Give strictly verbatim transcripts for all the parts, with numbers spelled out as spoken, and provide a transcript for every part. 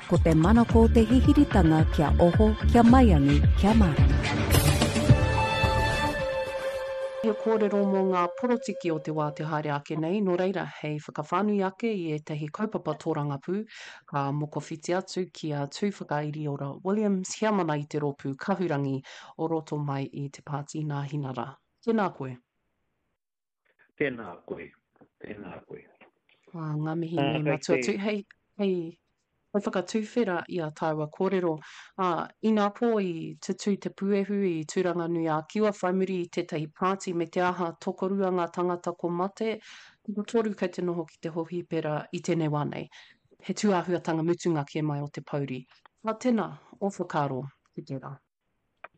Ko te manako o te hihiritanga kia oho, kia maiangi, kia mārama. He kōrero mō ngā porotiki o te wā te haere ake nei, nō reira, hei whakawhānui ake i ētahi kaupapa tōrangapū, ka mokowhiti atu ki a Tūwhakairiora Williams, heamana i te rōpū Kahurangi o roto mai i te Pāti Nāhinara. Tēnā koe. Tēnā koe, tēnā koe. Ā, ngā mihi Ā, nui kei matua te tū. Hei, hei, hei whakatuwhera i a tāua kōrero, ā, inā pō i tutū te puehu i Tūranganui-ā-Kiwa whai muri i tētahi pāti me te aha tokorua ngā tangata ko mate, tokotoru kei te noho ki te hohipera i tēnei wā nei. He tūāhuatanga mutunga kē mai o te pouri. Ā, tēnā, ō whakaaro ki tērā.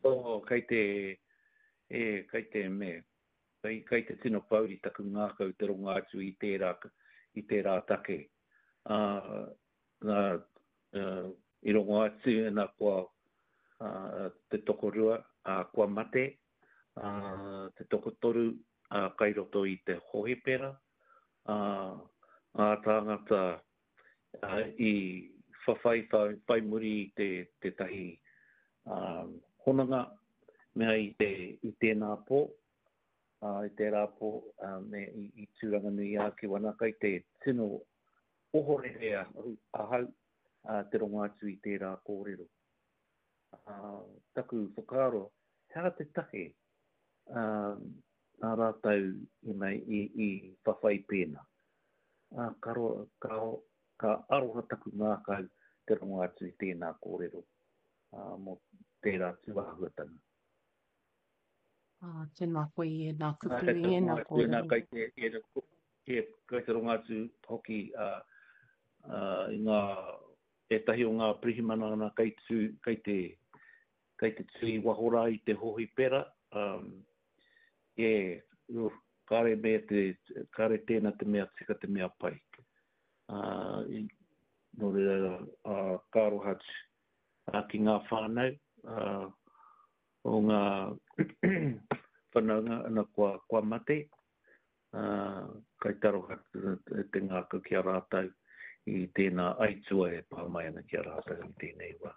Oh, kei te, e, kei te me, kei, kei te tino pouri taku ngākau te rongo atu i tērā, i tērā take. Ā, nā, uh, i rongo atu nā kua uh, te tokorua, ā, kua mate, ā, te tokotoru ā, kai roto i te hohipera, ā, ngā tāngata ā, i whawhai whai, whai muri i te, tētahi ā, hononga mea i, te, i tēnā pō, ā, i tērā pō, ā, me i, i Tūranganui-ā-Kiwa. Nā, kai te tino ohorere ahau, ahau ā, te rongo atu i tērā kōrero. Ā, taku whakaaro, he aha te take ā, nā rātou i, mei, i, i whawhai pēnā? Ā, ka, ro, ka, ka aroha taku ngākau te rongo atu i tēnā kōrero ā, mō tērā tūāhuatanga. Ā, tēnā koe i ēnā Nā, kupu, kei te i rongo ēnā atu, nā, kōrero. kei te, e, e, kei te rongo atu hoki ā, ā, i ngā, ētahi o ngā pirihimana ana kei, tū, kei, te, kei te tū i waho rā i te hohipera, um, e, uh, kāre me te, kāre tēnā te mea tika te mea pai. Ā, i, nō reira, ā, ka aroha atu ā, ki ngā whānau, ā, o ngā whanaunga ana kua, kua mate, ā, kai te aroha atu te ngākau ki a rātou i tēnā aitua e pā mai ana ki a rātou i tēnei wā.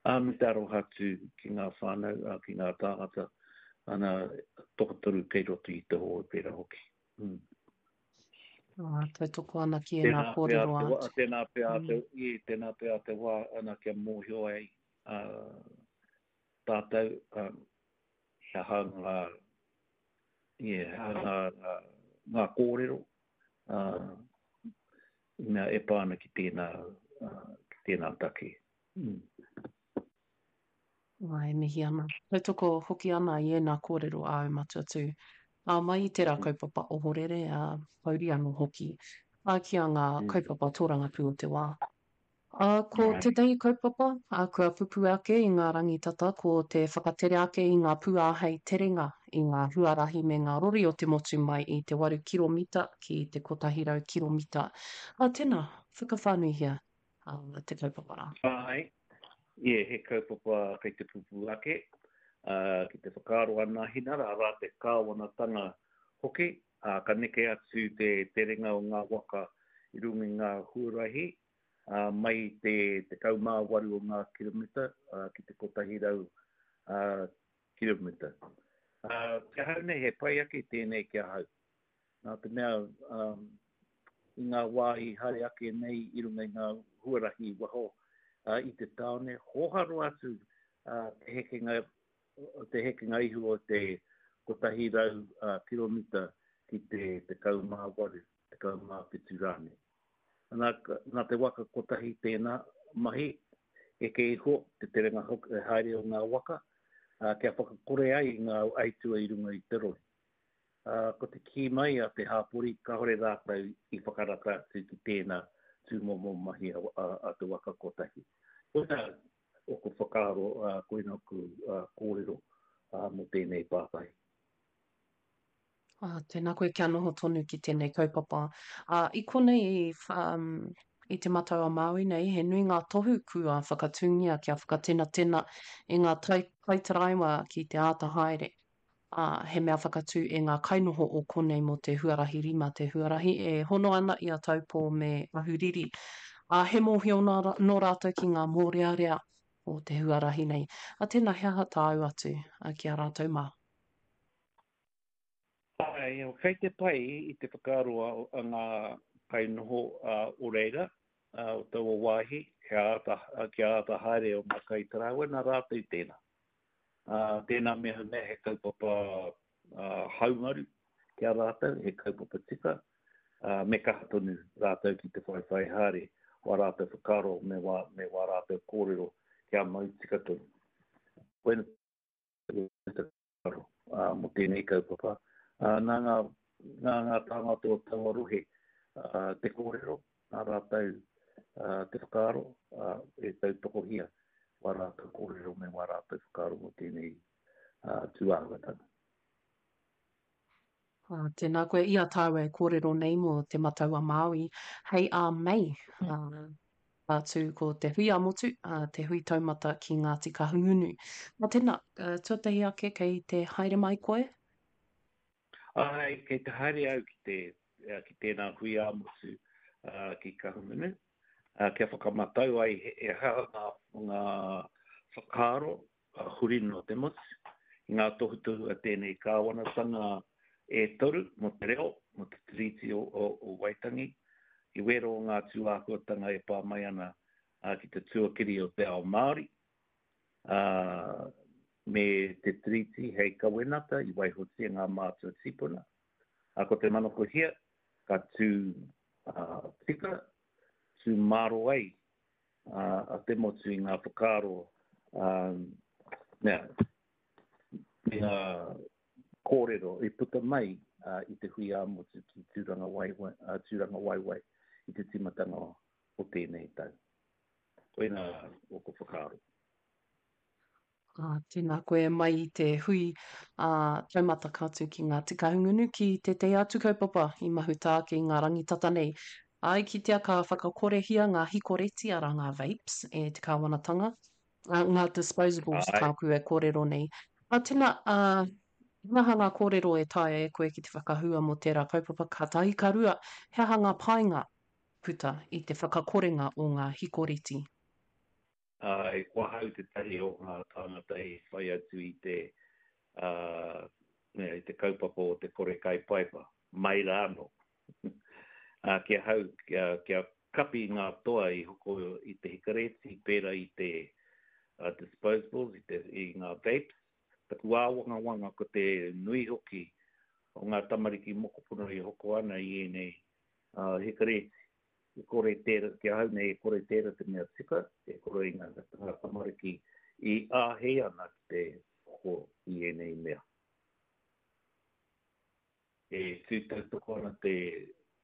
Ā, me te aroha atu ki ngā whānau, ā, ki ngā tāngata, ana tokotoru kei roto i te hōpera hoki. Mm. Ā, tautoko ana ki ēnā Tēnā pea kōrero te wā, atu. tēnā pea te, Mm. i, tēnā pea te wā ana kia mōhio ai ā, tātou ā, he aha ngā, ie, he aha ngā, ngā, ngā kōrero ā, i mea e pā ana ki tēnā, ā, ki tēnā take. Mm. Ā, e mihi ana. Tautoko hoki ana i ēnā kōrero āu matua tū. Ā, mai i tērā Mm. kaupapa ohorere, ā, pouri anō hoki, ā, ki a ngā Mm. kaupapa tōrangapū o te wā. Ā, ko Āe. tētahi kaupapa, ā, kua pupū ake i ngā rangi tata, ko te whakatere ake i ngā pūāhei terenga i ngā huarahi me ngā rori o te motu mai i te waru kiromita ki te kotahi rau kiromita. Ā, tēnā, whakawhānuihia, ā, te kaupapa rā. Āe, ie, he kaupapa kei te pupū ake, ā, ki te whakaaro a Nāhinara, arā te kāwanatanga hoki, ā, ka neke atu te terenga o ngā waka i runga i ngā huarahi, ā, mai i te tekau mā waru o ngā kiromita, ā, ki te kotahi rau, ā, kiromita. Ā, ki ahau nei, he pai ake tēnei ki ahau. Nā te mea, um, i ngā wā i haere ake nei i runga i ngā huarahi i waho uh, i te tāone, hōharo atu uh, te hekenga, te hekenga ihu o te kotahi rau uh, kiromita ki te tekau mā waru, tekau mā whitu rānei. Nā, nā te waka kotahi tēnā mahi, eke iho te terenga hoki, haere o ngā waka, uh, kia whakakore ai i ngā aitua i runga i te rori. Ā, ko te kī mai a te hāpori kāore rātou i whakarata atu ki tēnā tūmomo mahi a, a, a te waka kotahi. Koina oku whakaaro, ā, koina oku ā, kōrero ā, mō tēnei pātai. Ā, tēnā koe kia noho tonu ki tēnei kaupapa. Ā, i konei i, um, i Te Matau a Māui nei, he nui ngā tohu kua whakatūngia kia whakatenatena i ngā tai, kaitaraiwa ki te āta haere. Ā, he mea whakatū e ngā kainoho o konei mō te huarahi rima te huarahi e hono ana i a Taupō me Ahuriri. Ā, he mōhio nā, nō rātou ki ngā mōrearea o te huarahi nei. A tēnā, he aha tāu atu ki a rātou mā? Āe, kei te pai i te whakaaro a ngā kainoho o reira, o taua wāhi, kia āta, kia āta haere o ngā kaitaraiwa, nā rātou tēnā. Tēnā mehemea he kaupapa haumaru ki a rātou, he kaupapa tika, me kaha tonu rātou ki te whaiwhai haere wā rātou whakaaro me wā, me wā rātou kōrero kia mau tika tonu. Koina te whakaaro mō tēnei kaupapa. Nā ngā, nā ngā tāngata o taua rohe te kōrero, nā rātou te whakaaro e tautokohia wā rātou kōrero me wā rātou whakaaro mō tēnei tūāhuatanga. Ah, tēnā koe, i a tāua e kōrero nei mō Te Matau a Māui, hei ā Mei, ā, ka tū ko te hui ā-motu, ā, te hui taumata ki Ngāti Kahungunu. Nā tēnā, tuatahi ake kei te haere mai koe? Āe, kei te haere au ki te, ki tēnā hui ā-motu ki Kahungunu, kia whakamatau ai he aha ngā, ngā whakaaro huri noa te motu, i ngā tohutohu a tēnei kāwanatanga e toru mō te reo, mō te Tiriti o, o, o Waitangi, i wero o ngā tūāhuatanga e pā mai ana ki te tuakiri o te ao Māori, ā, me te Tiriti hei kawenata i waihotia ngā mātua tīpuna. Ā, ko te manakohia, ka tū tika, tū māro ai a te motu i ngā whakaaro, ā, mea, me ngā kōrero i puta mai i te hui ā-motu ki Tūrangawaewae, Tūrangawaewae i te tīmatanga o tēnei tau. Koinā ōku whakaaro. Ā, tēnā koe mai i te hui ā taumata ka tū ki Ngāti Kahungunu ki tētehi atu kaupapa i mahuta ake i ngā rangi tata nei. Ā, i kitea ka whakakorehia ngā hikoreti, arā ngā vapes, e te kāwanatanga, ā, ngā disposables Āe. tāku e kōrero nei. Ā, tēnā, ā, he aha ngā kōrero e taea e koe ki te whakahua mō tērā kaupapa ka tahi, ka rua, he aha ngā painga puta i te whakakorenga o ngā hikoreti? Āe, ko ahau tētahi o ngā tāngata i whai atu i te, ā, i te kaupapa o te kore kai paipa, mai rā anō. Ā, ki ahau, kia, kia kapi ngā toa i hoko i te hikareti, pērā i te uh, disposables, i, te, i ngā vapes, taku āwangawanga ko te nui hoki o ngā tamariki mokopuna i hoko ana i ēnei uh, hikareti. E kore tērā, ki ahau nei, e kore tērā te mea tika, e kore i ngā, ngā tamariki i āhei ana ki te hoko i ēnei mea. E tū tautoko ana te,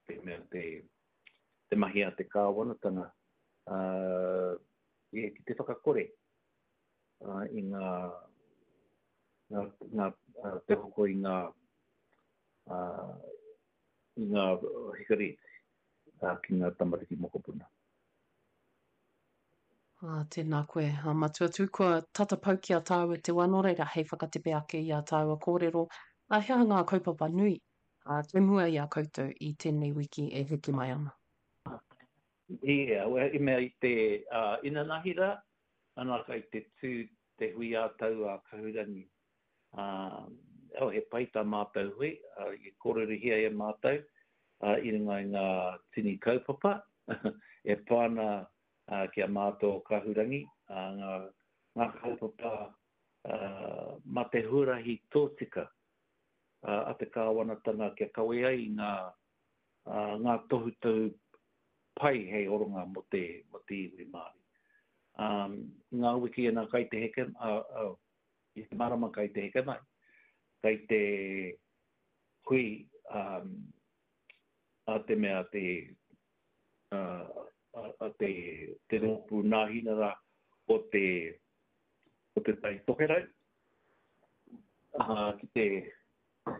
te mea, te, te mahi a te kāwanatanga uh, e, ki te whakakore uh, i ngā, ngā, ngā, uh, te hoko i ngā, uh, i ngā hikareti uh, ki ngā tamariki mokopuna. Ā, tēnā koe, a Matua Tū, kua tata pau ki a tāua te wā, nō reira hei whakatepe ake i ā tāua kōrero, ā, he aha ngā kaupapa nui, ā, kei mua i a koutou i tēnei wiki e heke mai ana? Ia, well, i mea i te uh, inanahi rā, ana kai te tū te hui ā-tau a Kahurangi. Uh, oh, he pai tā mātou hui, uh, i kōrerohia e mātou uh, i runga i ngā tini kaupapa e pā ana uh, ki a mātou o Kahurangi, uh, ngā, ngā kaupapa uh, mā te huarahi tōtika uh, a te kāwanatanga kia kawe ai i ngā, uh, ngā tohutohu pai hei oronga mō te, mō te iwi Māori. Um, i ngā wiki ana kai te heke, uh, uh, i te marama kai te heke mai, kai te hui um, a te mea te, uh, a, a te, te rōpū nāhinara o te, o te Tai Tokerau, uh, ki te,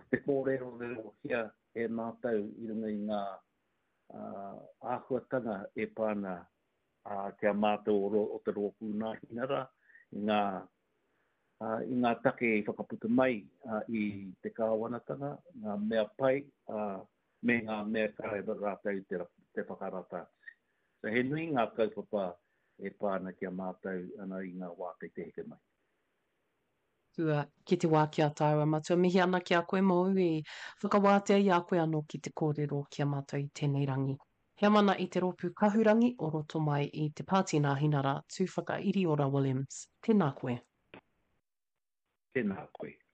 te kōrerorerohia e mātou i runga i ngā uh, āhuatanga e pā ana uh, ki a mātou o, o te rōpū nāhinara, i ngā, uh, i ngā take i whakaputa mai uh, i te kāwanatanga, ngā mea pai, uh, me ngā mea kāre rātou te, te whakarata atu. So he nui ngā kaupapa e pā ana ki a mātou ana i ngā wā kei te heke mai. Kua ki te wā ki a tāua matua. Mihi ana ki a koe mōu i whakawātea i a koe anō ki te kōrero ki a mātou i tēnei rangi. Heamana i te rōpū kahurangi o roto mai i te Pāti Nāhinara Tūwhakairiora Williams. Tēnā koe. Tēnā koe.